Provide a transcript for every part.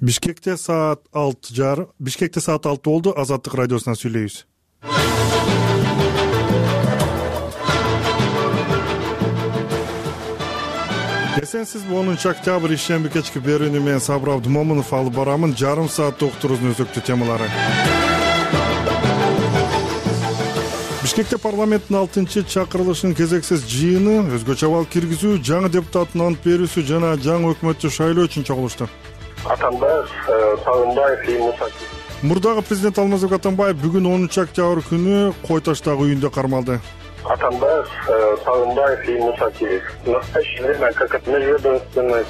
Бишкекте саат 6 болду. Азаттык радиосунан сүйлөйбүз. Эсенсиз 10 октябрь ишемби кечки берүүнү мен Сабыр Абдымомунов алып барамын. Жарым саатта уктуруубуздун өзөктүү темалары. Бишкекте парламенттин 6-чакырылышынын кезексиз жыйыны, өзгөчө абал киргизүү, жаңы депутаттын ант берүүсү жана жаңы өкмөттү шайлоо үчүн чогулушту. Атамбаев, Сагынбаев и Мусакиев. Мурдагы президент Алмазбек Атамбаев бүгүн 10 октябрь күнү Кой таштагы үйүндө кармалды. Атамбаев, Сагынбаев и Мусакиев. В настоящее время, как межведомственная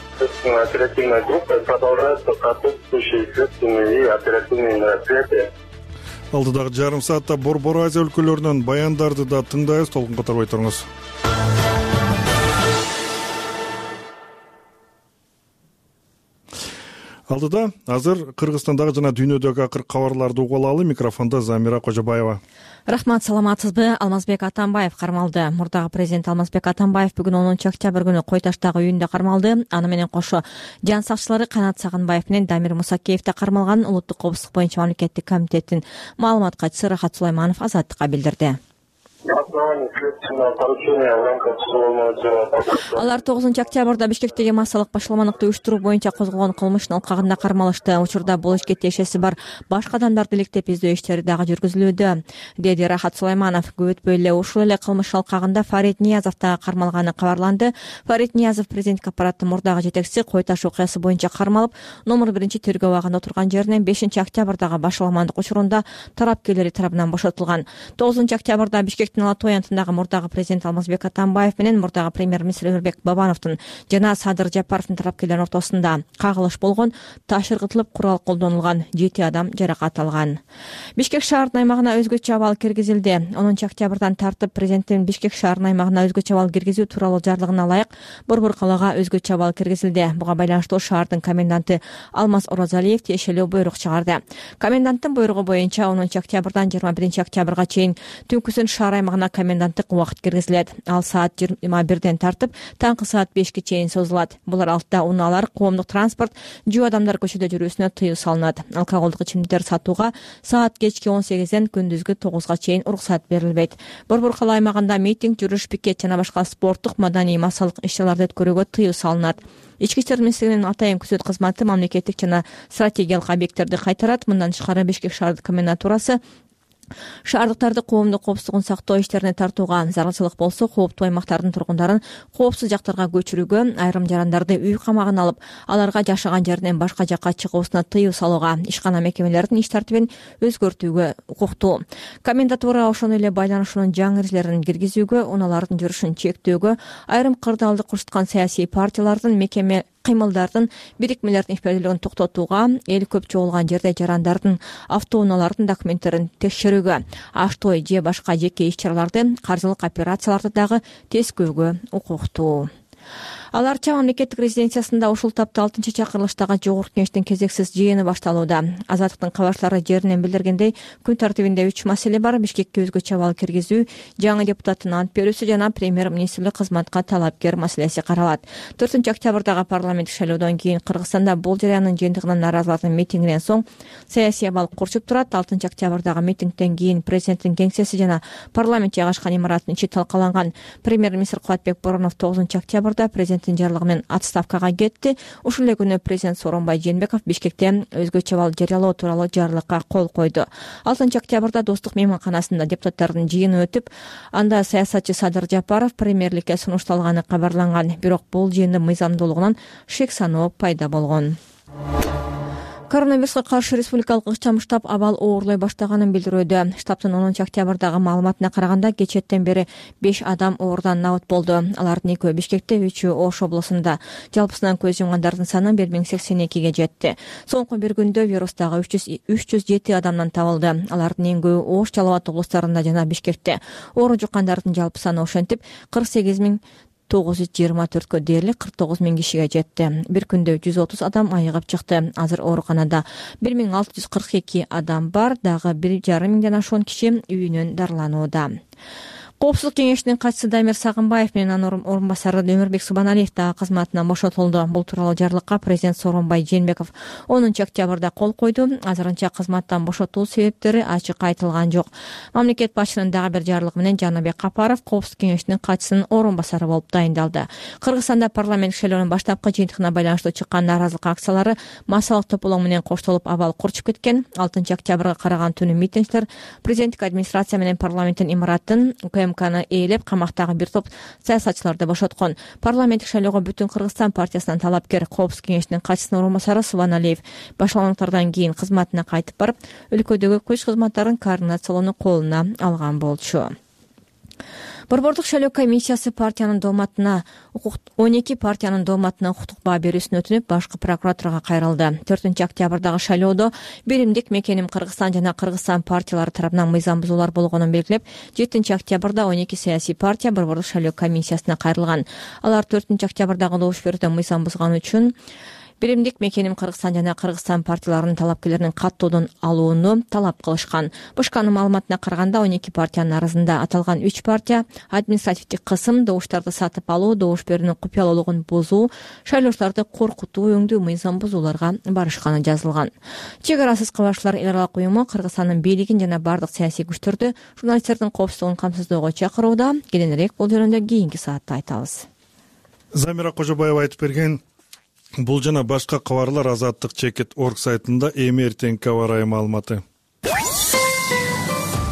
оперативная группа, продолжаются соответствующие следственные и оперативные мероприятия. Алдыдагы жарым саатта Борбор Азия өлкөлөрүнөн баяндарды да тыңдайбыз. Толкун катарбай туруңуз. Алдыда азыр Кыргызстандагы жана дүйнөдөгү акыркы кабарларды угуп алалы. Микрофондо Замира Кожобаева. Рахмат, саламатсызбы? Алмазбек Атамбаев кармалды. Мурдагы президент Алмазбек Атамбаев бүгүн 10 октябрь күнү Кой таштагы үйүндө кармалды. Аны менен кошо жан сакчылары Канат Сагынбаев менен Дамир Мусакиев да кармалган. Улуттук коопсуздук боюнча мамлекеттик комитеттин маалымат катчысы Рахат Сулайманов Азаттыкка билдирди. Алар 9 октябрда Бишкектеги массалык башаламандыкты уюштуруу боюнча козголгон кылмыштын алкагында кармалышты. Учурда бул ишке тиешеси бар башка адамдарды иликтеп издөө иштери дагы жүргүзүлүүдө, деди Рахат Сулайманов. Көп өтпөй эле ушул эле кылмыш алкагында Фарид Ниязов дагы кармалганы кабарланды. Фарид Ниязов президенттик аппараттын мурдагы жетекчиси Кой таш окуясы боюнча кармалып, номер 1 тергөө абагында отурган жеринен 5 октябрдагы башаламандык учурунда тарапкерлери тарабынан бошотулган. 9 октябрда Бишкектин Ала Той антындагы мурдагы президент Алмазбек Атамбаев менен мурдагы премьер-министр Өмүрбек Бабановдун жана Садыр Жапаровдун тарапкерлеринин ортосунда кагылыш болгон, таш ыргытылып, курал колдонулган, 7 адам жаракат алган. Бишкек шаарынын аймагына өзгөчө абал киргизилди. 10 октябрдан тартып президенттин Бишкек шаарынын аймагына өзгөчө абал киргизүү тууралуу жарлыгына ылайык Борбор калаага өзгөчө абал киргизилди. Буга байланыштуу шаардын коменданты Алмаз Оразалиев тиешелүү буйрук чыгарды. Коменданттын буйругу боюнча 10 октябрдан 21 октябрга чейин түнкүсүн шаар аймагына коменданттык убакыт киргизилет. Ал саат 21ден тартып таңкы саат 5ке чейин созулат. Булар алтта унаалар, коомдук транспорт, жөө адамдар көчөдө жүрүүсүнө тыюу салынат. Алкоголдук ичимдиктер сатууга саат кечки 18ден күндүзгү 9га чейин уруксат берилбейт. Борбор кала аймагында митинг, жүрүш, пикет жана башка спорттук, маданий, массалык иш-чараларды өткөрүүгө тыюу салынат. Ички иштер министрлигинин атайын күзөт кызматы мамлекеттик жана стратегиялык объекттерди кайтарат. Мындан тышкары Бишкек шаардык комендатурасы шаардыктарды коомдук коопсуздугун сактоо иштерине тартууга, зарылчылык болсо кооптуу аймактардын тургундарын коопсуз жактарга көчүрүүгө, айрым жарандарды үй камагына алып, аларга жашаган жеринен башка жакка чыгуусуна тыюу салууга, ишкана мекемелердин иш тартибин өзгөртүүгө укуктуу. Комендатура ошону эле байланышуунун жаңы эрежелерин киргизүүгө, унаалардын жүрүшүн чектөөгө, айрым кырдаалды курчуткан саясий партиялардын, мекеме кыймылдардын, бирикмелердин ишмердүүлүгүн токтотууга, эл көп чогулган жерде жарандардын, автоунаалардын документтерин текшерүүгө, аш-той же башка жеке иш-чараларды, каржылык операцияларды дагы тескөөгө укуктуу. Аларча мамлекеттик резиденциясында ушул тапта 6-чакырылыштагы жогорку кеңештин кезексиз жыйыны башталууда. Азаттыктын кабарчылары жеринен билдиргендей, күн тартибинде 3 маселе бар: Бишкекке өзгөчө абал киргизүү, жаңы депутаттын ант берүүсү жана премьер-министрлик кызматка талапкер маселеси каралат. 4 октябрдагы парламенттик шайлоодон кийин Кыргызстанда бул жарыяндын жыйынтыгынан нааразылардын митингинен соң саясий абал курчуп турат. 6 октябрдагы митингден кийин президенттин кеңсеси жана парламент жайгашкан имараттын ичи талкаланган. Премьер-министр Кубатбек Боронов 9 октябрда президенттин жарлыгы менен отставкага кетти. Ушул эле күнү президент Сооронбай Жээнбеков Бишкекте өзгөчө абал жарыялоо тууралуу жарлыкка кол койду. 6 октябрда Достук мейманканасында депутаттардын жыйыны өтүп, анда саясатчы Садыр Жапаров премьерликке сунушталганы кабарланган. Бирок бул жыйындын мыйзамдуулугунан шек саноо пайда болгон. Коронавируска каршы республикалык ыкчам штаб абал оорлой баштаганын билдирүүдө. Штабтын 10 октябрдагы маалыматына караганда, кечээттен бери 5 адам оорудан набыт болду. Алардын 2-өө Бишкекте, 3-өө Ош облусунда. Жалпысынан көз жумгандардын саны 1082ге жетти. Соңку бир күндө вирустагы 307 адамдан табылды. Алардын эң көбү Ош, Жалал Абад облустарында жана Бишкекте. Оору жуккандардын жалпы саны ошентип 48.924 дээрлик 49 000 кишиге жетти. Бир күндө 130 адам айыгып чыкты. Азыр ооруканада 1642 адам бар, дагы 1,5 миңден ашуун киши үйүнөн дарыланууда. Коопсуздук кеңешинин катчысы Дамир Сагынбаев менен анын орун басары Өмүрбек Субаналиев дагы кызматынан бошотулду. Бул тууралуу жарлыкка президент Сооронбай Жээнбеков 10 октябрда кол койду. Азырынча кызматтан бошотуу себептери ачык айтылган жок. Мамлекет башчынын дагы бир жарлыгы менен Жаныбек Капаров Коопсуздук кеңешинин катчысынын орун басары болуп дайындалды. Кыргызстанда парламент шайлоонун баштапкы жыйынтыгына байланыштуу чыккан нааразылык акциялары массалык тополоң менен коштолуп абал курчуп кеткен. 6 октябрга караган түнү митингчилер президенттик администрация менен парламенттин имаратын УКМКны ээлеп, камактагы бир топ саясатчыларды бошоткон. Парламенттик шайлоого Бүтүн Кыргызстан партиясынан талапкер Коопсуздук кеңешинин катчысынын орун басары Субаналиев башлангандыктардан кийин кызматына кайтып барып, өлкөдөгү көч кызматтарын координациялоону колуна алган болчу. Борбордук шайлоо комиссиясы партиянын дооматына 12 партиянын дооматына укуктук баа берүүсүн өтүнүп, башкы прокуратурага кайрылды. 4 октябрдагы шайлоодо биримдик Мекеним Кыргызстан жана Кыргызстан партиялары тарабынан мыйзам бузуулар болгонун белгилеп, 7 октябрда 12 саясий партия Борбордук шайлоо комиссиясына кайрылган. Алар 4 октябрдагы добуш берүүдө мыйзам бузган үчүн биримдик Мекеним Кыргызстан жана Кыргызстан партияларынын талапкерлеринин каттоодон алууну талап кылышкан. БШКнын маалыматына караганда 12 партиянын арасында аталган 3 партия административдик кысым, добуштарды сатып алуу, добуш берүүнүн купуялуулугун бузуу, шайлоочуларды коркутуу өңдүү мыйзам бузууларга барышканы жазылган. Чек арасыз кабарчылар эл аралык уюму Кыргызстандын бийлигин жана бардык саясий күчтөрдү журналисттердин коопсуздугун камсыздоого чакырууда. Кененирээк бул жөнүндө кийинки саатта айтабыз. Замира Кожобаева айтып берген. Бул жана башка кабарлар Азаттык Чекит.org сайтында эми эртеңки аба ырайы маалыматы.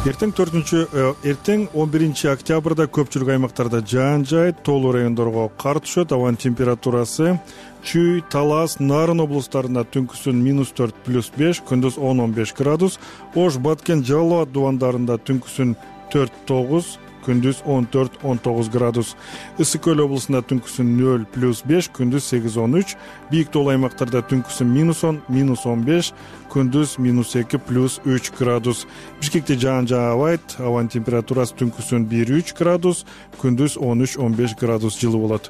Эртең 11 октябрда көпчүлүк аймактарда жаан жаайт, тоолуу райондорго кар түшөт. Абанын температурасы Чүй, Талас, Нарын облустарында түнкүсүн -4 +5, күндүз 10-15 градус, Ош, Баткен, Жалал Абад дубандарында түнкүсүн 4-9, күндүз 14-19 градус. Ысык Көл облусунда түнкүсүн 0 +5, күндүз 8-13, бийик тоолуу аймактарда түнкүсүн -10, -15, күндүз -2 +3 градус. Бишкекте жаан жаабайт, абанын температурасы түнкүсүн 1-3 градус, күндүз 13-15 градус жылы болот.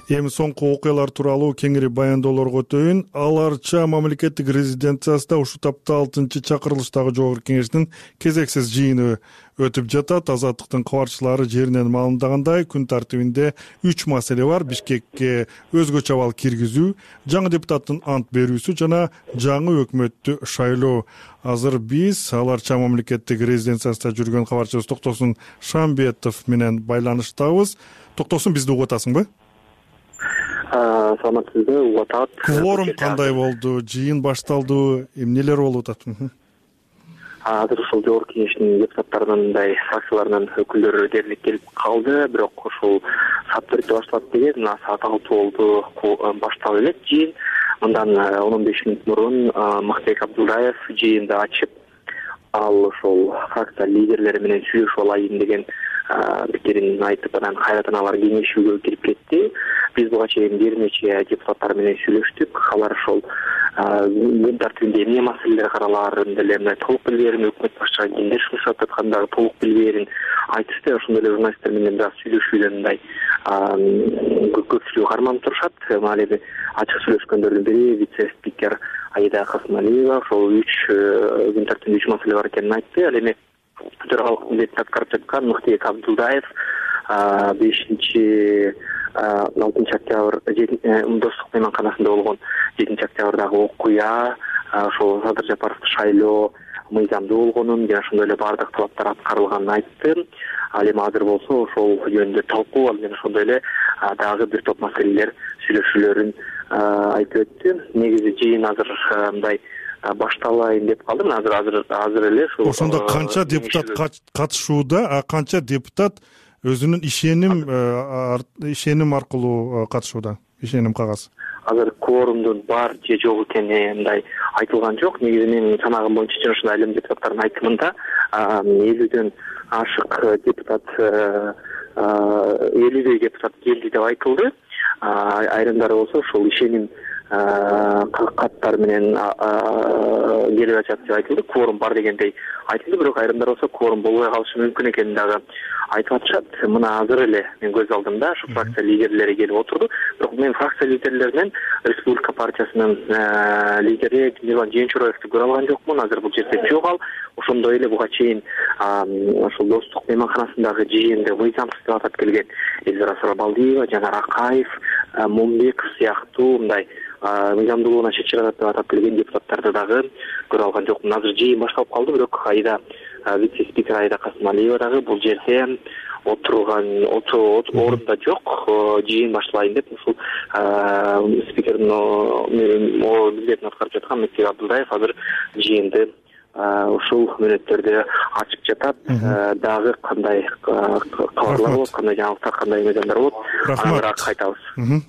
Эми соңку окуялар тууралуу кеңири баяндоолорго өтөйүн. Аларча мамлекеттик резиденциясында ушул тапта 6-чакырылыштагы жогорку кеңештин кезексиз жыйыны өтүп жатат. Азаттыктын кабарчылары жеринен маалымдагандай, күн тартибинде 3 маселе бар: Бишкекке өзгөчө абал киргизүү, жаңы депутаттын ант берүүсү жана жаңы өкмөттү шайлоо. Азыр биз Аларча мамлекеттик резиденциясында жүргөн кабарчыбыз Токтосун Шамбетов менен байланыштабыз. Токтосун, бизди угуп атасыңбы? Саламатсызбы, угуп атат. Кворум кандай болду? Жыйын башталды? Эмнелер болуп атат? Азыр ушул жогорку кеңештин депутаттарынын мындай фракцияларынын өкүлдөрү дээрлик келип калды, бирок ушул саат 4-тө башталат деген, саат 6 болду башталып элек жыйын. Мындан 15 мүнөт мурун Мактыбек Абдулдаев жыйынды ачып, ал ошол фракция лидерлери менен сүйлөшүп алайын деген пикирин айтып, анан кайрадан алар кеңешүүгө кирип кетти. Биз буга чейин бир нече депутаттар менен сүйлөштүк. Алар ошол күн тартибинде эмне маселелер каралаарын деле мындай толук билбээрин, өкмөт башчыга кимдер шушат аткандагы толук билбээрин айтышты. Ошондой эле журналисттер менен бираз сүйлөшүүдө мындай көпчүлүгү карманып турушат. Ал эми ачык сүйлөшкөндөрдүн бири вице-спикер Аида Касымалиева ошол 3 күн тартибинде 3 маселе бар экенин айтты. Ал эми төралык милдетин аткарып жаткан Мактыбек Абдулдаев 5-6 октябрь достук мейманканасында болгон 7 октябрдагы окуя, ошол Садыр Жапаровду шайлоо мыйзамдуу болгонун жана ошондой эле баардык талаптар аткарылганын айтты. Ал эми азыр болсо ошол жөнүндө талкуу, ал эми ошондой эле дагы бир топ маселелер сүйлөшүүлөрүн айтып өттү. Негизи жыйын азыр мындай башталайын деп калдым. Азыр эле ушул. Ошондо канча депутат катышууда, канча депутат өзүнүн ишеним аркылуу катышууда? Ишеним кагаз. Азыр кворумдун бар же жок экени мындай айтылган жок. Негизи менин санагым боюнча жана ушундай элем депутаттардын айтымында 50дөн ашык депутат 50 депутат келди деп айтылды. Айрымдары болсо ошол ишеним каттар менен келип атат деп айтылды, кворум бар дегендей айтылды, бирок айрымдар болсо кворум болбой калышы мүмкүн экенин дагы айтып атышат. Мына азыр эле мен көз алдымда ушу фракция лидерлери келип отурду, бирок мен фракция лидерлеринен Республика партиясынын лидери Мирлан Жээнчураевди көрө алган жокмун. Азыр бул жерде жок ал. Ошондой эле буга чейин ушул Достук мейманканасындагы жыйынды мыйзамсыз деп атап келген Эльвира Сарабалдиева, Жанар Акаев, Момбеков сыяктуу мындай мыйзамдуулугуна чек чыгарат деп атап келген депутаттарды дагы көрө алган жокмун. Азыр жыйын башталып калды, бирок вице-спикер Айда Касымалиева дагы бул жерде отурган орунда жок. Жыйын башталайын деп ушул спикердин милдетин аткарып жаткан Мектеп Абдылдаев азыр жыйынды ушул мүнөттөрдө ачып жатат. Дагы кандай кабарлар болот, кандай жаңылыктар, кандай мыйзамдар болот, аны кайтабыз.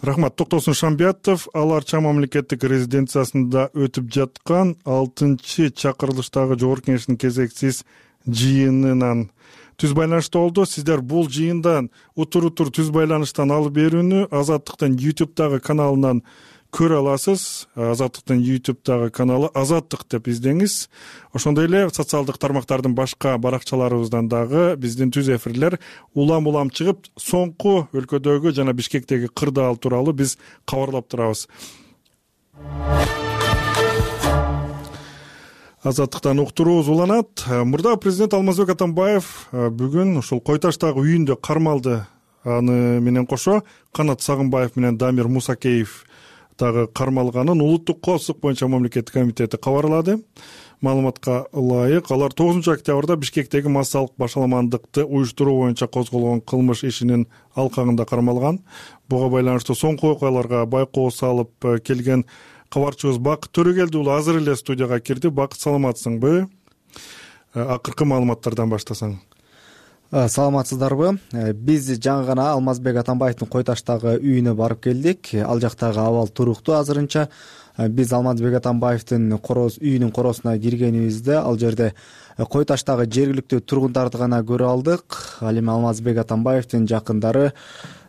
Рахмат. Токтосун Шамбиятов Ал Арча мамлекеттик резиденциясында өтүп жаткан 6-чакырылыштагы Жогорку Кеңештин кезексиз жыйынынан түз байланышта болду. Сиздер бул жыйындан утур түз байланыштан алып берүүнү Азаттыктын YouTube-дагы каналынан көрө аласыз. Азаттыктын YouTube-дагы каналы Азаттык деп издеңиз. Ошондой эле социалдык тармактардын башка баракчаларыбыздан дагы биздин түз эфирлер улам чыгып, соңку өлкөдөгү жана Бишкектеги кырдаал тууралуу биз кабарлап турабыз. Азаттыктан уктуруубуз уланат. Мурда президент Алмазбек Атамбаев бүгүн ушул Кой Таштагы үйүндө кармалды. Аны менен кошо Канат Сагынбаев менен Дамир Мусакеев дагы кармалганын Улуттук коопсуздук боюнча мамлекеттик комитети кабарлады. Маалыматка ылайык, алар 9-октябрда Бишкектеги массалык башаламандыкты уюштуруу боюнча козголгон кылмыш ишинин алкагында кармалган. Буга байланыштуу соңку окуяларга байкоо салып келген кабарчыбыз Бакыт Төрөгелди уулу азыр эле студияга кирди. Бакыт, саламатсыңбы? Акыркы маалыматтардан баштасаң. Саламатсыздарбы? Биз жаңы гана Алмазбек Атамбаевдин Кой Таштагы үйүнө барып келдик. Ал жактагы абал туруктуу азырынча. Биз Алмазбек Атамбаевдин үйүнүн коросуна киргенибизде ал жерде Кой Таштагы жергиликтүү тургундарды гана көрө алдык. Ал эми Алмазбек Атамбаевдин жакындары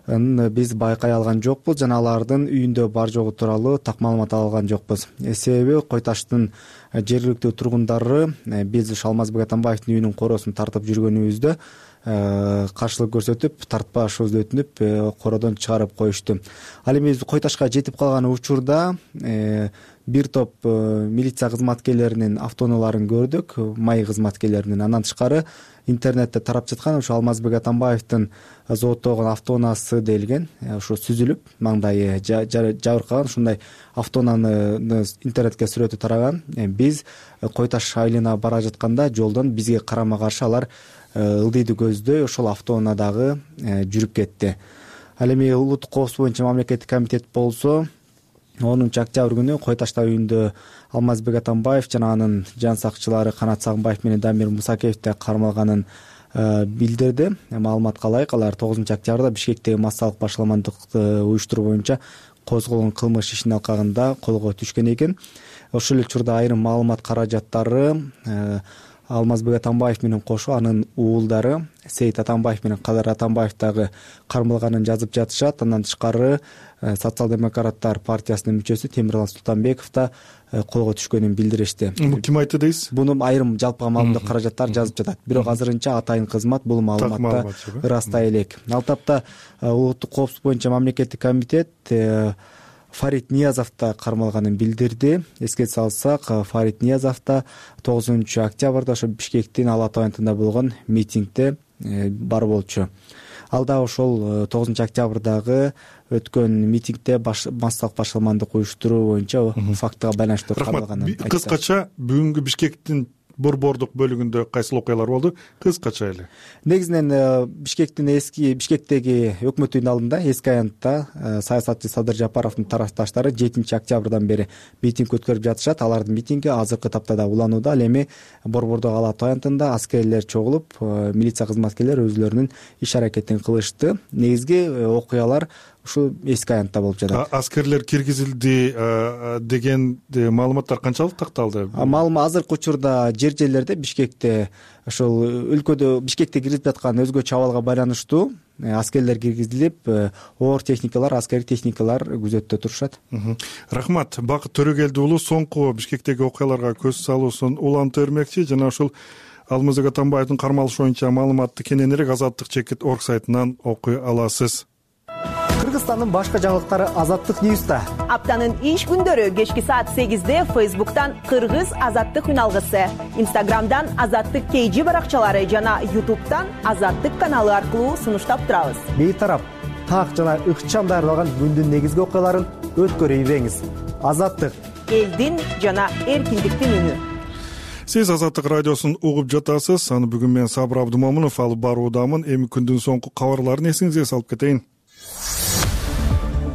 биз байкай алган жокпуз жана алардын үйүндө бар жогу тууралуу так маалымат ала алган жокпуз. Себеби Кой Таштын жергиликтүү тургундары биз ушу Алмазбек Атамбаевдин үйүнүн коросун тартып жүргөнүбүздө каршылык көрсөтүп, тартпашыбызды өтүнүп, кородон чыгарып коюшту. Ал эми биз Кой Ташка жетип калган учурда бир топ милиция кызматкерлеринин автоунааларын көрдүк, май кызматкерлеринин. Андан тышкары интернетте тарап жаткан ушу Алмазбек Атамбаевдин зооттогон автоунаасы делген, ушу сүзүлүп, маңдайы жабыркаган ушундай автоунааны интернетке сүрөтү тараган. Биз Кой Таш айылына бара жатканда жолдон бизге карама каршы алар ылдыйды көздөй ошол автоунаадагы жүрүп кетти. Ал эми Улуттук коопсуздук боюнча мамлекеттик комитет болсо 10-октябрь күнү Кой Ташта үйүндө Алмазбек Атамбаев жана анын жан сакчылары Канат Сагынбаев менен Дамир Мусакеевди кармалганын билдирди. Маалыматка ылайык, алар 9-октябрда Бишкектеги массалык башаламандыкты уюштуруу боюнча козголгон кылмыш ишинин алкагында колго түшкөн экен. Ошол эле учурда айрым маалымат каражаттары Алмазбек Атамбаев менен кошо анын уулдары Сейит Атамбаев менен Кадар Атамбаев дагы кармалганын жазып жатышат. Андан тышкары Социал-демократтар партиясынын мүчөсү Темирлан Султанбеков да колго түшкөнүн билдиришти. Ким айтты дейсиз? Буну айрым жалпыга маалымдоо каражаттар жазып жатат. Бирок азырынча атайын кызмат бул маалыматты ырастай элек. Ал тапта Улуттук коопсуздук боюнча мамлекеттик комитет Фарид Ниязов да кармалганын билдирди. Эске салсак, Фарид Ниязов да 9-октябрда ошо Бишкектин Ала Тоо айылында болгон митингде бар болчу. Ал да ошол 9-октябрдагы өткөн митингде массалык башаламандык уюштуруу боюнча фактыга байланыштуу кармалганын айтты. Кыскача бүгүнкү Бишкектин борбордук бөлүгүндө кайсыл окуялар болду? Кыскача эле. Негизинен Бишкектеги өкмөт үйүнүн алдында эски аянтта саясатчы Садыр Жапаровдун тарапташтары 7-октябрдан бери митинг өткөрүп жатышат. Алардын митинги азыркы тапта да уланууда. Ал эми борбордогу Ала Тоо аянтында аскерлер чогулуп, милиция кызматкерлери өзлөрүнүн иш аракетин кылышты. Негизги окуялар ушул эски аянтта болуп жатат. Аскерлер киргизилди деген маалыматтар канчалык такталды? Азыркы учурда жерлерде Бишкекте ошол өлкөдө Бишкекте кирип жаткан өзгөчө абалга байланыштуу аскерлер киргизилип, оор техникалар, аскерий техникалар күзөттө турушат. Рахмат. Бакыт Төрөгелди уулу соңку Бишкектеги окуяларга көз салуусун улантып бермекчи жана ушул Алмазбек Атамбаевдин кармалышы боюнча маалыматты кененирээк Азаттык чекит орг сайтынан окуй аласыз. Кыргызстандын башка жаңылыктары Азаттык Ньюста. Аптанын иш күндөрү кечки саат 8-де Facebook'tan Кыргыз Азаттык үналгысы, Instagram'dan Азаттык KG баракчалары жана YouTube'дан Азаттык каналы аркылуу сунуштап турабыз. Бейтарап, так жана ыкчам даярдалган күндүн негизги окуяларын өткөрүп ийбеңиз. Азаттык, элдин жана эркиндиктин үнү. Сиз Азаттык радиосун угуп жатасыз. Аны бүгүн мен Сабыр Абдумомунов алып баруудамын. Эми күндүн соңку кабарларын эсиңизге салып кетейин.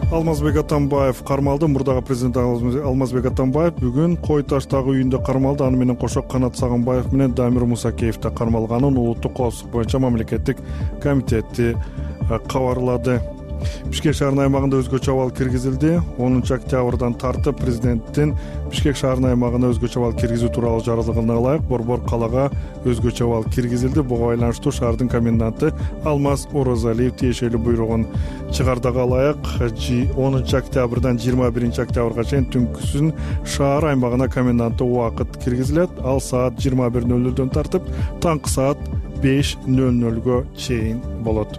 Алмазбек Атамбаев кармалды. Мурдагы президент Алмазбек Атамбаев бүгүн Кой Таштагы үйүндө кармалды. Аны менен кошо Канат Сагынбаев менен Дамир Мусакеев да кармалганын улуттук коопсуздук боюнча мамлекеттик комитети кабарлады. Бишкек шаарынын аймагында өзгөчө абал киргизилди. 10-октябрдан тартып президенттин Бишкек шаарынын аймагына өзгөчө абал киргизүү тууралуу жарлыгына ылайык Борбор калаага өзгөчө абал киргизилди. Буга байланыштуу шаардын коменданты Алмаз Орозалиев тиешелүү буйругун чыгардыга ылайык 10-октябрдан 21-октябрга чейин түнкүсүн шаар аймагына коменданттык убакыт киргизилет. Ал саат 21:00дөн тартып таңкы саат 5:00 чейин болот.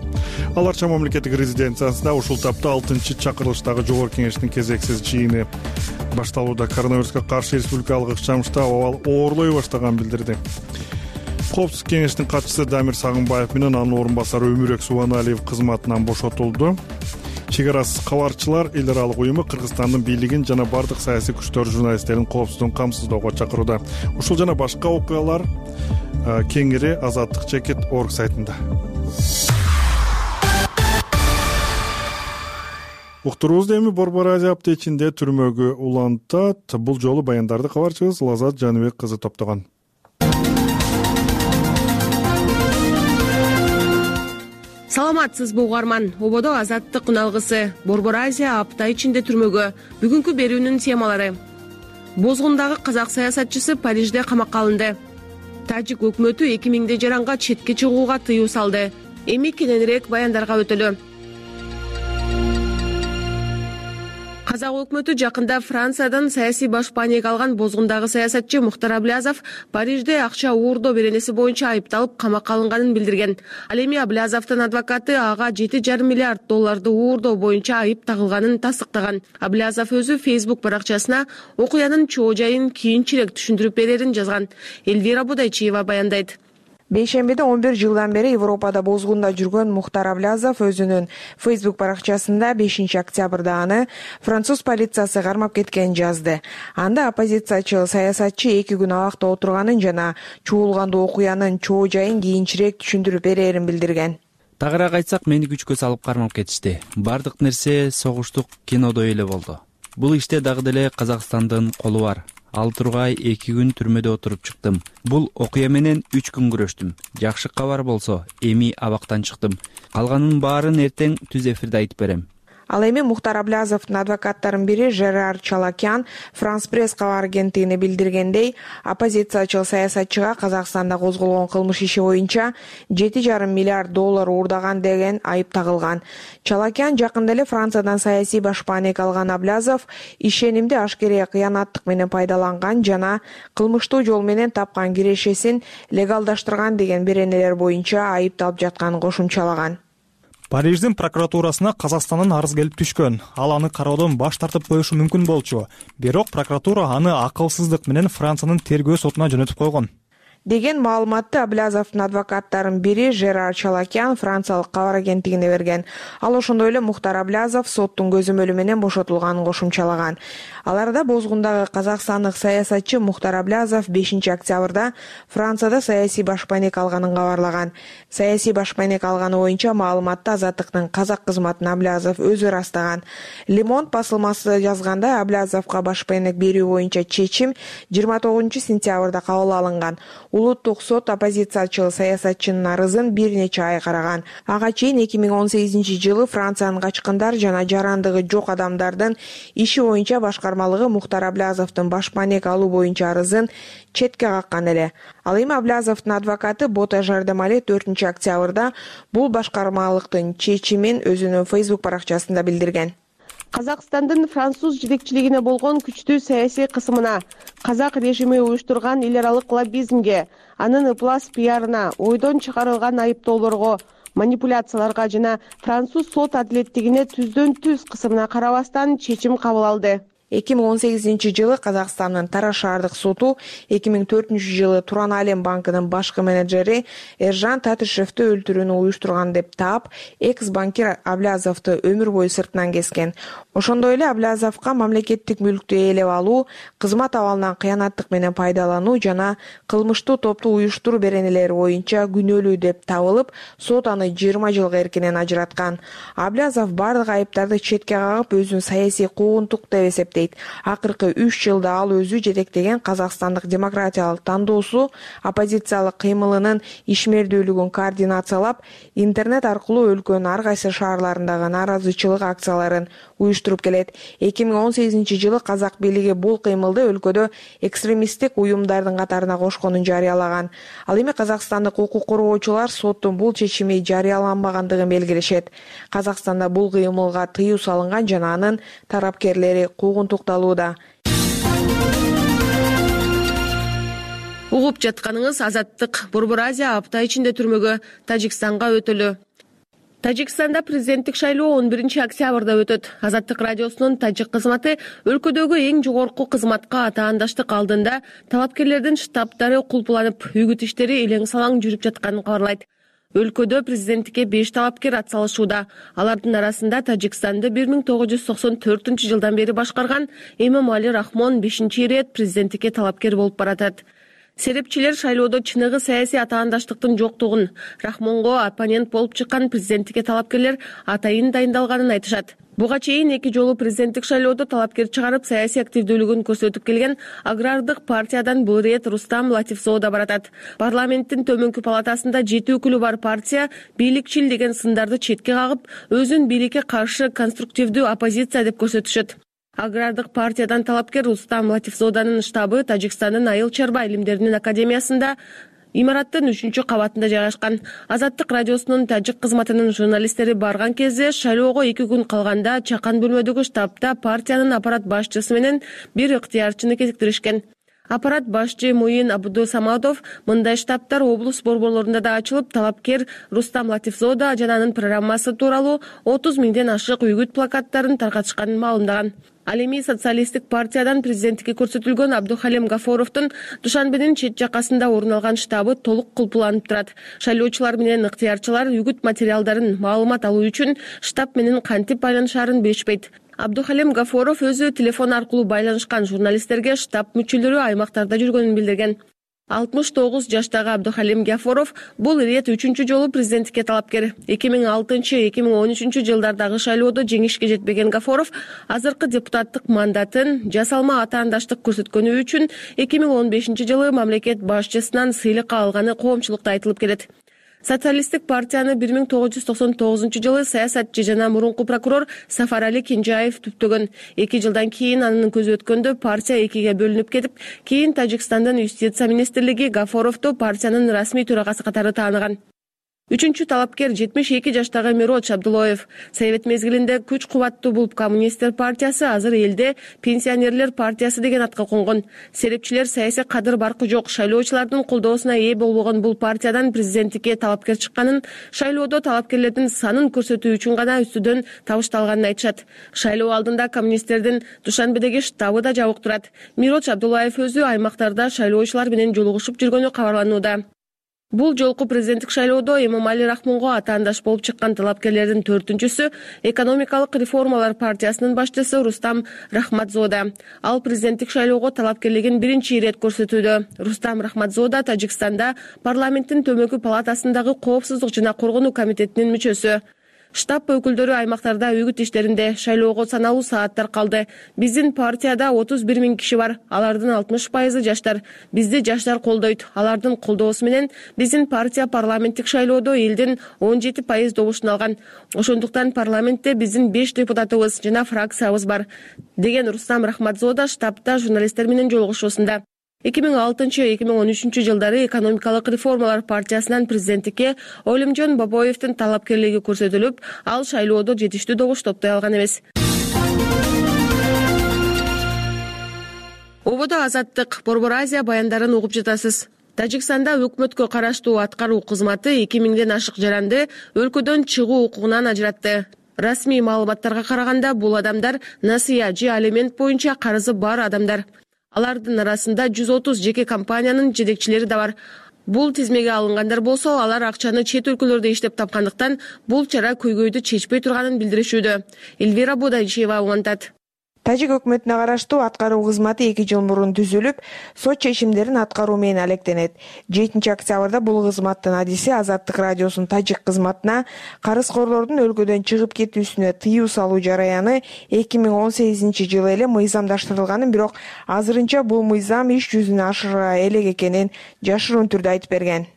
Аларча мамлекеттик резиденциясында ушул тапта 6-чакырылыштагы жогорку кеңештин кезексиз жыйыны башталууда. Коронавируска каршы республикалык ыкчам штаб абал оорлой баштаганын билдирди. Коопсуздук кеңештин катчысы Дамир Сагынбаев менен анын орун басары Өмүрөк Субаналиев кызматынан бошотулду. Чек арасыз кабарчылар эл аралык уюму Кыргызстандын бийлигин жана бардык саясий күчтөр журналисттердин коопсуздугун камсыздоого чакырууда. Ушул жана башка окуялар кеңири Азаттык чекит орг сайтында. Уктуруубузду эми Борбор Азия аптечинде түрмөгө улантат. Бул жолу баяндарды кабарчыбыз Лазат Жаныбек кызы топтогон. Саламатсызбы угарман. Ободо Азаттык үналгысы Борбор Азия апта ичинде түрмөгө. Бүгүнкү берүүнүн темалары: Бозгундагы казак саясатчысы Парижде камакка алынды. Тажик өкмөтү 2000 жаранга четке чыгууга тыюу салды. Эми кененирээк баяндарга өтөлү. Казак өкмөтү жакында Франциядан саясий баш паник алган бозгундагы саясатчы Мухтар Аблязов Парижде акча уурдоо беренеси боюнча айыпталып камакка алынганын билдирген. Ал эми Аблязовдун адвокаты ага 7,5 миллиард долларды уурдоо боюнча айып тагылганын тастыктаган. Аблязов өзү Facebook баракчасына окуянын чоо жайын кийинчерээк түшүндүрүп берерин жазган. Элвира Будайчиева баяндайт. Бейшембиде 11 жылдан бери Европада бозгунда жүргөн Мухтар Аблязов өзүнүн Facebook баракчасында 5-октябрда аны француз полициясы кармап кеткенин жазды. Анда оппозициячыл саясатчы 2 күн абакта отурганын жана чуулгандуу окуянын чоо жайын кийинчерээк түшүндүрүп берерин билдирген. Тагыраак айтсак, мени күчкө салып кармап кетишти. Бардык нерсе согуштук кинодой эле болду. Бул иште дагы деле Казакстандын колу бар. Ал тургай 2 күн түрмөдө отуруп чыктым. Бул окуя менен 3 күн күрөштүм. Жакшы кабар болсо, эми абактан чыктым. Калганын баарын эртең түз эфирде айтып берем. Ал эми Мухтар Аблязовдун адвокаттарынын бири Жерар Чалакян Франс пресс кабар агенттигине билдиргендей, оппозициячыл саясатчыга Казакстанда козголгон кылмыш иши боюнча 7,5 миллиард доллар уурдаган деген айып тагылган. Чалакян жакында эле Франциядан саясий баш паник алган Аблязов ишенимди ашкерее кыянаттык менен пайдаланган жана кылмыштуу жол менен тапкан кирешесин легалдаштырган деген беренелер боюнча айыпталып жатканын кошумчалаган. Париждин прокуратурасына Казакстандын арыз келип түшкөн. Ал аны кароодон баш тартып коюшу мүмкүн болчу. Бирок прокуратура аны акылсыздык менен Франциянын тергөө сотуна жөнөтүп койгон деген маалыматты Аблязовдун адвокаттарынын бири Жерар Чалакян франциялык кабар агенттигине берген. Ал ошондой эле Мухтар Аблязов соттун көзөмөлү менен бошотулганын кошумчалаган. Аларда бозгундагы казакстандык саясатчы Мухтар Аблязов 5-октябрда Францияда саясий башпайнек алганын кабарлаган. Саясий башпайнек алганы боюнча маалыматты Азаттыктын казак кызматын Аблязов өзү ырастаган. Лемонт басылмасы жазганда Аблязовго башпайнек берүү боюнча чечим 29 сентябрда кабыл алынган. улуттук сот оппозициячыл саясатчынын арызын бир нече ай караган. Ага чейин 2018-жылы Франциянын качкындар жана жарандыгы жок адамдардын иши боюнча башкармалыгы Мухтар Аблязовдун баш маек алуу боюнча арызын четке каккан эле. Ал эми Аблязовдун адвокаты Бота Жардамали 4-октябрда бул башкармалыктын чечимин өзүнүн Facebook баракчасында билдирген. Казакстандын француз жетекчилигине болгон күчтүү саясий кысымына, казак режими уюштурган эл аралык лоббизмге, анын ыплас пиарына, ойдон чыгарылган айыптоолорго, манипуляцияларга жана француз сот адилеттигине түздөн-түз кысымына карабастан чечим кабыл алды. 2018-жылы Казакстандын Тараш шаардык соту 2004-жылы Туран Алем банкынын башкы менеджери Эржан Татышевди өлтүрүүнү уюштурган деп таап, экс-банкир Аблязовду өмүр бою сыртынан кескен. Ошондой эле Аблязовго мамлекеттик мүлктү ээлеп алуу, кызмат абалынан кыянаттык менен пайдалануу жана кылмыштуу топту уюштуруу беренелери боюнча күнөөлүү деп табылып, сот аны 20 жылга эркинен ажыраткан. Аблязов бардык айыптарды четке кагып, өзүн саясий куугунтук деп эсептейт. Акыркы 3 жылда ал өзү жетектеген Казакстандык демократиялык тандоосу оппозициялык кыймылынын ишмердүүлүгүн координациялап, интернет аркылуу өлкөнүн ар кайсы шаарларындагы нааразычылык акцияларын уюштуруп келет. 2018-жылы казак бийлиги бул кыймылды өлкөдө экстремисттик уюмдардын катарына кошконун жарыялаган. Ал эми казакстандык укук коргоочулар соттун бул чечими жарыяланбагандыгын белгилешет. Казакстанда бул кыймылга тыюу салынган жана анын тарапкерлери куугунтукталууда. Угуп жатканыңыз Азаттык. Борбор Азия апта ичинде түрмөгө Тажикстанга өтөлү. Тажикстанда президенттик шайлоо 11-октябрда өтөт. Азаттык радиосунун тажик кызматы өлкөдөгү эң жогорку кызматка атаандаштык алдында талапкерлердин штабтары кулпуланып, үгүт иштери элең-салаң жүрүп жатканын кабарлайт. Өлкөдө президенттикке 5 талапкер атсалышууда. Алардын арасында Тажикстанды 1994-жылдан бери башкарган Эмомали Рахмон 5-ирет президенттикке талапкер болуп баратат. Серепчилер шайлоодо чыныгы саясий атаандаштыктын жоктугун, Рахмонго оппонент болуп чыккан президенттикке талапкерлер атайын дайындалганын айтышат. Буга чейин 2 жолу президенттик шайлоодо талапкер чыгарып, саясий активдүүлүгүн көрсөтүп келген агрардык партиядан бул ирет Рустам Латифзода баратат. Парламенттин төмөнкү палатасында 7 өкүлү бар партия бийликчил деген сындарды четке кагып, өзүн бийликке каршы конструктивдүү оппозиция деп көрсөтүшөт. Агрардык партиядан талапкер Рустам Латифзоданын штабы Тажикстандын Айыл чарба илимдеринин академиясында имараттын 3-кабатында жайгашкан. Азаттык радиосунун тажик кызматынын журналисттери барган кезде шайлоого 2 күн калганда чакан бөлмөдөгү штабта партиянын аппарат башчысы менен бир ыктыярчыны кезиктиришкен. Аппарат башчы Муин Абдусамадов мындай штабтар облус борборлорунда да ачылып, талапкер Рустам Латифзода жана анын программасы тууралуу 30 миңден ашык үгүт плакаттарын таркатышканын маалымдаган. Ал эми социалисттик партиядан президенттикке көрсөтүлгөн Абдухалим Гафоровдун Душанбенин чет жакасында орун алган штабы толук кулпуланып турат. Шайлоочулар менен ыктыярчылар үгүт материалдарын маалымат алуу үчүн штаб менен кантип байланышаарын билишпейт. Абдухалим Гафоров өзү телефон аркылуу байланышкан журналисттерге штаб мүчөлөрү аймактарда жүргөнүн билдирген. 69 жаштагы Абдухалим Гафоров бул ирет 3-чү жолу президенттикке талапкер. 2006-2013 жылдардагы шайлоодо жеңишке жетпеген Гафоров азыркы депутаттык мандатын жасалма атаандаштык көрсөткөнү үчүн 2015-жылы мамлекет башчысынан сыйлыкка алганы коомчулукта айтылып келет. Социалисттик партияны 1999-жылы саясатчы жана мурунку прокурор Сафарали Кенжаев түптөгөн. 2 жылдан кийин анын көзү өткөндө партия 2ге бөлүнүп кетип, кийин Тажикстандын юстиция министрлиги Гафоровду партиянын расмий төрагасы катары тааныган. 3-чү талапкер 72 жаштагы Мироч Абдулоев. Совет мезгилинде күч кубаттуу бул коммунисттер партиясы азыр элде пенсионерлер партиясы деген атка конгон. Серепчилер саясий кадыр баркы жок шайлоочулардын колдоосуна ээ болбогон бул партиядан президенттикке талапкер чыкканын, шайлоодо талапкерлердин санын көрсөтүү үчүн гана үстүдөн табышталганын айтышат. Шайлоо алдында коммунисттердин Душанбедеги штабы да жабык турат. Мироч Абдулаев өзү аймактарда шайлоочулар менен жолугушуп жүргөнү кабарланууда. Бул жолку президенттик шайлоодо Эмомали Рахмонго атаандаш болуп чыккан талапкерлердин 4-чүсү экономикалык реформалар партиясынын башчысы Рустам Рахматзода. Ал президенттик шайлоого талапкерлигин 1-ирет көрсөтүүдө. Рустам Рахматзода Тажикстанда парламенттин төмөнкү палатасындагы коопсуздук жана коргонуу комитетинин мүчөсү. Штаб өкүлдөрү аймактарда үгүт иштеринде, шайлоого саналуу сааттар калды. Биздин партияда 31 000 киши бар. Алардын 60% жаштар. Бизди жаштар колдойт. Алардын колдоосу менен биздин партия парламенттик шайлоодо элдин 17% добушун алган. Ошондуктан парламентте биздин 5 депутатыбыз жана фракциябыз бар, деген Рустам Рахматзода штабта журналисттер менен жолугушуусунда. 2006-2013 жылдары экономикалык реформалар партиясынан президенттикке Олимжон Бабоевдин талапкерлиги көрсөтүлүп, ал шайлоодо жетиштүү добуш топтой алган эмес. Ободо Азаттык, Борбор Азия баяндарын угуп жатасыз. Тажикстанда өкмөткө караштуу аткаруу кызматы 2000ден ашык жаранды өлкөдөн чыгуу укугунан ажыратты. Расмий маалыматтарга караганда, бул адамдар насыя же алимент боюнча карызы бар адамдар. Алардын арасында 130 жеке компаниянын жетекчилери да бар. Бул тизмеге алынгандар болсо, алар акчаны чет өлкөлөрдө иштеп тапкандыктан бул чара көйгөйдү чечпей турганын билдиришүүдө. Эльвира Будайчиева угантат. Тажик өкмөтүнө караштуу аткаруу кызматы 2 жыл мурун түзүлүп, сот чечимдерин аткаруу менен алектенет. 7 октябрда бул кызматтын адиси Азаттык радиосунун тажик кызматына карызкорлордун өлкөдөн чыгып кетүүсүнө тыюу салуу жараяны 2018 жылы эле мыйзамдаштырылганын, бирок азырынча бул мыйзам иш жүзүнө ашыра элек экенин жашыруун түрдө айтып берген.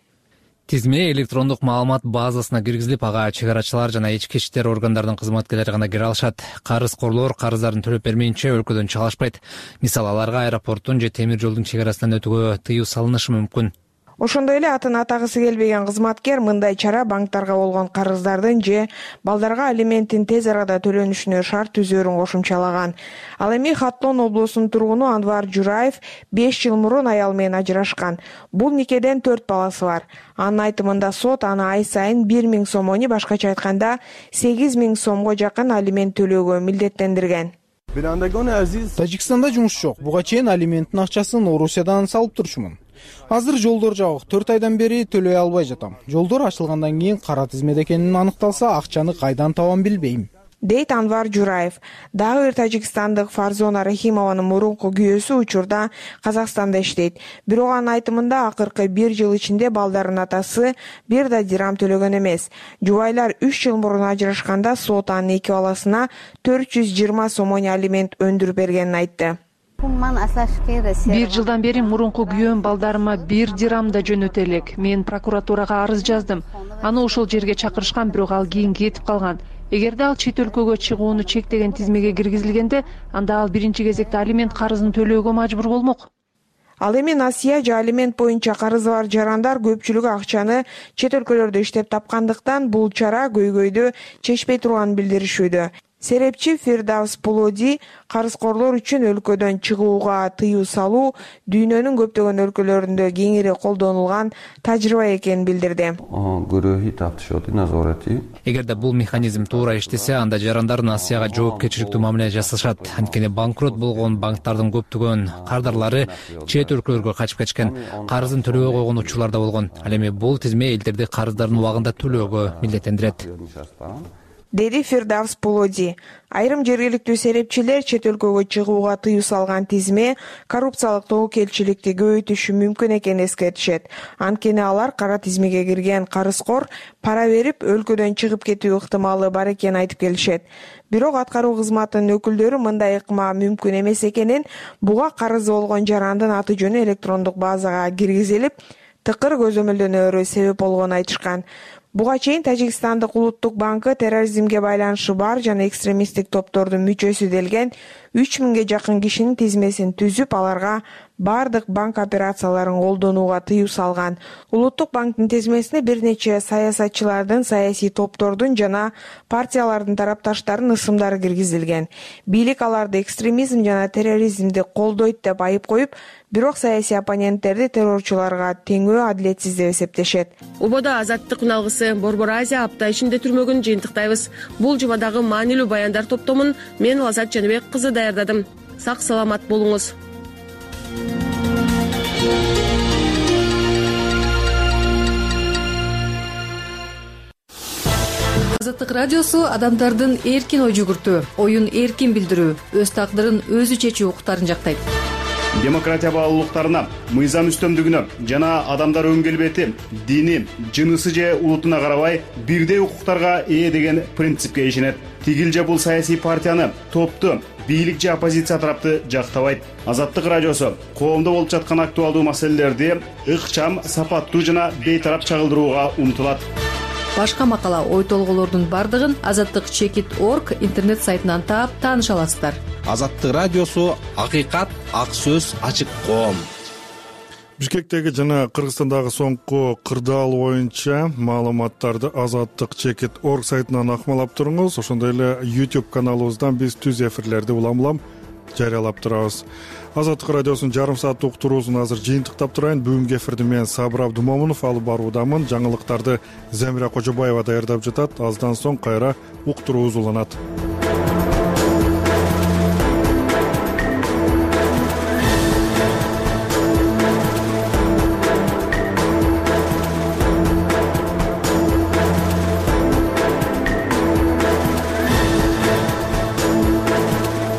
Тизме электрондук маалымат базасына киргизилип, ага чыгарачылар жана ички иштер органдарынын кызматкерлери гана кире алышат. Карызкорлор карыздарын төлөп бермейинче өлкөдөн чыга алышпайт. Мисалы, аларга аэропорттун же темир жолдун чек арасынан өтүүгө тыюу салынышы мүмкүн. Ошондой эле атын атагысы келбеген кызматкер мындай чара банктарга болгон карыздардын же балдарга алименттин тез арада төлөнүшүнө шарт түзөөрүн кошумчалаган. Ал эми Хатлон облусунун тургуну Анвар Жураев 5 жыл мурун аял менен ажырашкан. Бул никеден 4 баласы бар. Анын айтымында сот аны ай сайын 1000 сомону, башкача айтканда 8000 сомго жакын алимент төлөөгө милдеттендирген. Тажикстанда жумуш жок. Буга чейин алименттин акчасын Орусиядан салып турчумун. Азыр жолдор жабык. 4 айдан бери төлөй албай жатам. Жолдор ачылгандан кийин кара тизмеде экенин аныкталса, акчаны кайдан табам билбейм, дейт Анвар Жураев. Дагы бир тажикстандык Фарзона Рахимованын мурунку күйөөсү учурда Казакстанда иштейт. Бирок анын айтымында акыркы 1 жыл ичинде балдардын атасы бир да дирам төлөгөн эмес. Жубайлар 3 жыл мурун ажырашканда сот анын 2 баласына 420 сомону алимент өндүрүп бергенин айтты. 1 жылдан бери мурунку күйөөм балдарыма 1 дирам да жөнөтө элек. Мен прокуратурага арыз жаздым. Аны ошол жерге чакырышкан, бирок ал кийин кетип калган. Эгерде ал чет өлкөгө чыгууну чектеген тизмеге киргизилгенде, анда ал биринчи кезекте алимент карызын төлөөгө мажбур болмок. Ал эми насыя же алимент боюнча карызы бар жарандар көпчүлүгү акчаны чет өлкөлөрдө иштеп тапкандыктан бул чара көйгөйдү чечпей турганын билдиришүүдө. Серепчи Фирдавс Пулоди карызкорлор үчүн өлкөдөн чыгууга тыюу салуу дүйнөнүн көптөгөн өлкөлөрүндө кеңири колдонулган тажрыйба экенин билдирди. Эгерде бул механизм туура иштесе, анда жарандар насыяга жоопкерчиликтүү мамиле жасашат. Анткени банкрот болгон банктардын көптөгөн кардарлары чет өлкөлөргө качып кетишкен, карызын төлөбөй койгон учурлар да болгон. Ал эми бул тизме элдерди карыздарын убагында төлөөгө милдеттендирет, деди Фирдавс Пулоди. Айрым жергиликтүү серепчилер чет өлкөгө чыгууга тыюу салган тизме коррупциялык тобокелчиликти көбөйтүшү мүмкүн экенин эскертишет. Анткени алар кара тизмеге кирген карызкор пара берип өлкөдөн чыгып кетүү ыктымалы бар экенин айтып келишет. Бирок аткаруу кызматынын өкүлдөрү мындай ыкма мүмкүн эмес экенин, буга карызы болгон жарандын аты жөнү электрондук базага киргизилип, тыкыр көзөмөлдөнөөрү себеп болгонун айтышкан. Буга чейин Тажикстандык улуттук банкы терроризмге байланышы бар жана экстремисттик топтордун мүчөсү делген 3000ге жакын кишинин тизмесин түзүп, аларга бардык банк операцияларын колдонууга тыюу салган. Улуттук банктын тизмесине бир нече саясатчылардын, саясий топтордун жана партиялардын тарапташтарынын ысымдары киргизилген. Бийлик аларды экстремизм жана терроризмди колдойт деп айып коюп, бирок саясий оппоненттерди террорчуларга теңөө адилетсиз деп эсептешет. Ободо Азаттык үналгысы Борбор Азия апта ичинде түрмөгүн жыйынтыктайбыз. Бул жумадагы маанилүү баяндар топтомун мен Лазат Жаныбек кызы даярдадым. Сак саламат болуңуз. Азаттык радиосу адамдардын эркин ой жүгүртүү, оюн эркин билдирүү, өз тагдырын өзү чечүү укуктарын жактайт. демократия баалуулуктарына, мыйзам үстөмдүгүнө жана адамдар өн келбети, дини, жынысы же улутуна карабай бирдей укуктарга ээ деген принципке ишенет. Тигил же бул саясий партияны, топту, бийлик же оппозиция тарапты жактабайт. Азаттык радиосу коомдо болуп жаткан актуалдуу маселелерди ыкчам, сапаттуу жана бейтарап чагылдырууга умтулат. Башка макала, ой толгоолордун бардыгын azattik.org интернет сайтынан таап тааныша аласыздар. Азаттык радиосу акыйкат, ак сөз, ачык коом. Бишкектеги жана Кыргызстандагы соңку кырдаал боюнча маалыматтарды azattik.org сайтынан акмалап туруңуз. Ошондой эле YouTube каналыбыздан биз түз эфирлерди улам-улам жарыялап турабыз. Азаттык радиосунун жарым сааттык уктуруусун азыр жыйынтыктап турайын. Бүгүнкү эфирди мен Сабыр Абдумомунов алып баруудамын. Жаңылыктарды Замира Кожобаева даярдап жатат. Аздан соң кайра уктуруубуз уланат.